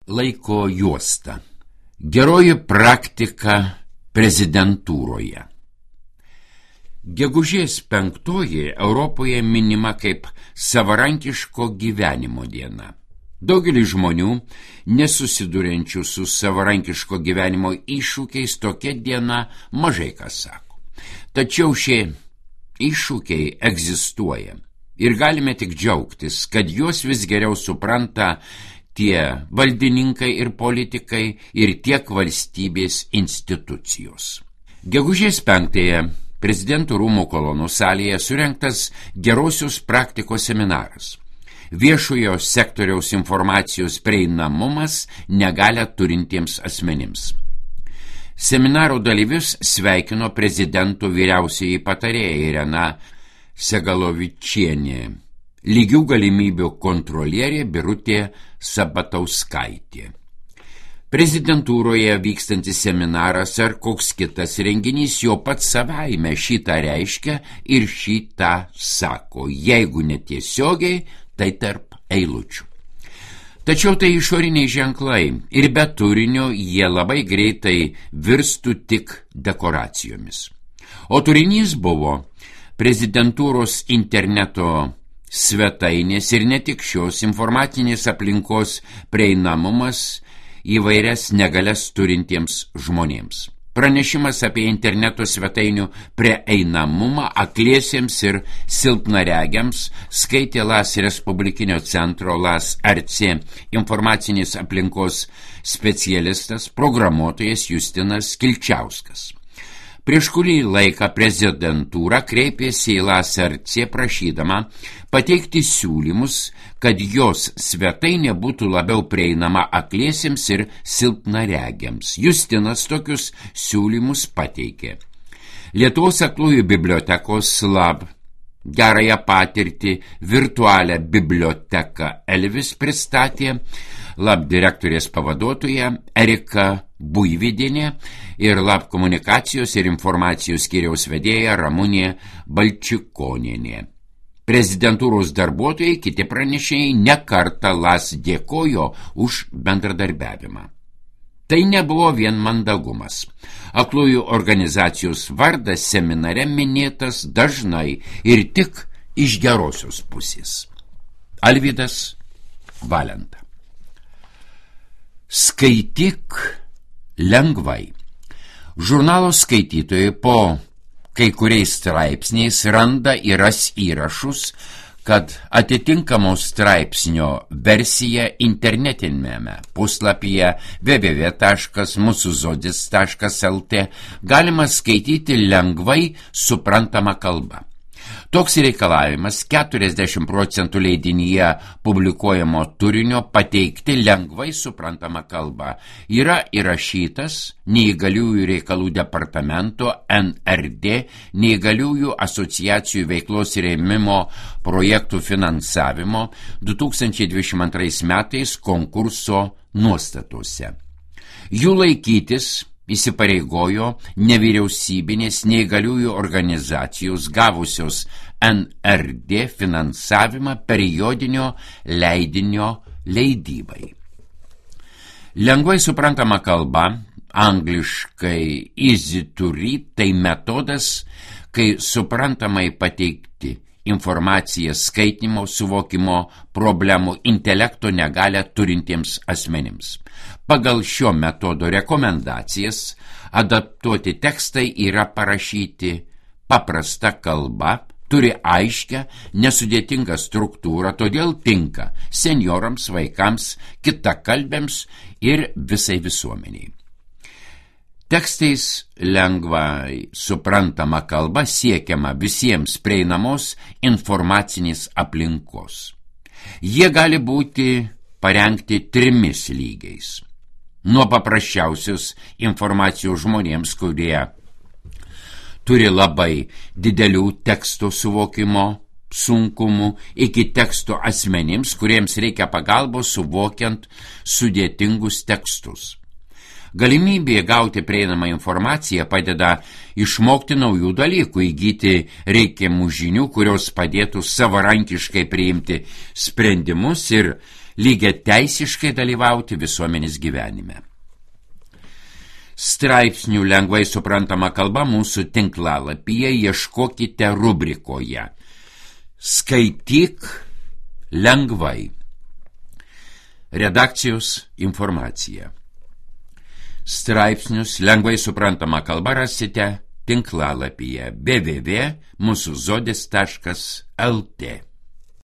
Laiko juosta. Geroji praktika prezidentūroje. Gegužės 5 Europoje minima kaip savarankiško gyvenimo diena. Daugelis žmonių, nesusiduriančių su savarankiško gyvenimo iššūkiais, tokia diena mažai kas sako. Tačiau šie iššūkiai egzistuoja ir galime tik džiaugtis, kad juos vis geriau supranta tie valdininkai ir politikai ir tiek valstybės institucijos. Gegužės 5 Prezidentų rūmų kolonų salėje surengtas gerosios praktikos seminaras. Viešojo sektoriaus informacijos prieinamumas negalią turintiems asmenims. Seminaro dalyvius sveikino prezidento vyriausioji patarėja Irena Segalovičienė, lygių galimybių kontrolierė Birutė Sabatauskaitė. Prezidentūroje vykstantis seminaras ar koks kitas renginys jo pats savaime šitą reiškia ir šitą sako, jeigu netiesiogiai, tai tarp eilučių. Tačiau tai išoriniai ženklai ir be turinio jie labai greitai virstų tik dekoracijomis. O turinys buvo prezidentūros interneto svetainės ir ne tik šios informacinės aplinkos prieinamumas įvairias negalias turintiems žmonėms. Pranešimas apie interneto svetainių prieinamumą akliesiems ir silpnaregiams skaitė LAS Respublikinio centro LAS RC informacinės aplinkos specialistas, programuotojas Justinas Kilčiauskas. Prieš kurį laiką prezidentūra kreipėsi į LAS RC prašydama pateikti siūlymus, kad jos svetainė būtų labiau prieinama akliesiems ir silpnaregiams. Justinas tokius siūlymus pateikė. Lietuvos aklųjų bibliotekos LAB gerąją patirtį virtualią biblioteką Elvis pristatė LAB direktorės pavaduotoja Erika Buividienė ir LAB komunikacijos ir informacijos skyriaus vedėja Ramunė Balčikonienė. Prezidentūros darbuotojai, kiti pranešėjai nekartą LAS dėkojo už bendradarbiavimą. Tai nebuvo vien mandagumas. Aklųjų organizacijos vardas seminare minėtas dažnai ir tik iš gerosios pusės. Alvydas Valenta. Skaityk lengvai. Žurnalo skaitytojai po kai kuriais straipsniais randa ir ras įrašus, kad atitinkamo straipsnio versija internetinėme puslapyje www.musuzodis.lt galima skaityti lengvai suprantamą kalbą. Toks reikalavimas 40% leidinyje publikuojamo turinio pateikti lengvai suprantamą kalbą yra įrašytas Neįgaliųjų reikalų departamento NRD Neįgaliųjų asociacijų veiklos rėmimo projektų finansavimo 2022 metais konkurso nuostatose. Jų laikytis įsipareigojo nevyriausybinės neįgaliųjų organizacijos gavusios NRD finansavimą periodinio leidinio leidybai. Lengvai suprantama kalba, angliškai easy to read, tai metodas, kai suprantamai pateikti informaciją skaitymo, suvokimo problemų intelekto negalią turintiems asmenims. Pagal šio metodo rekomendacijas adaptuoti tekstai yra parašyti paprasta kalba, turi aiškę, nesudėtingą struktūrą, todėl tinka senjorams, vaikams, kitakalbėms ir visai visuomeniai. Tekstais lengvai suprantama kalba siekiama visiems prieinamos informacinės aplinkos. Jie gali būti parengti 3 lygiais. Nuo paprasčiausios informacijos žmonėms, kurie turi labai didelių teksto suvokimo sunkumų, iki teksto asmenims, kuriems reikia pagalbos suvokiant sudėtingus tekstus. Galimybė gauti prieinamą informaciją padeda išmokti naujų dalykų, įgyti reikiamų žinių, kurios padėtų savarankiškai priimti sprendimus ir lygiai teisiškai dalyvauti visuomenės gyvenime. Straipsnių lengvai suprantama kalba mūsų tinklalapyje ieškokite rubrikoje Skaityk lengvai. Redakcijos informacija. Straipsnius lengvai suprantama kalba rasite tinklalapyje www.musuzodis.lt.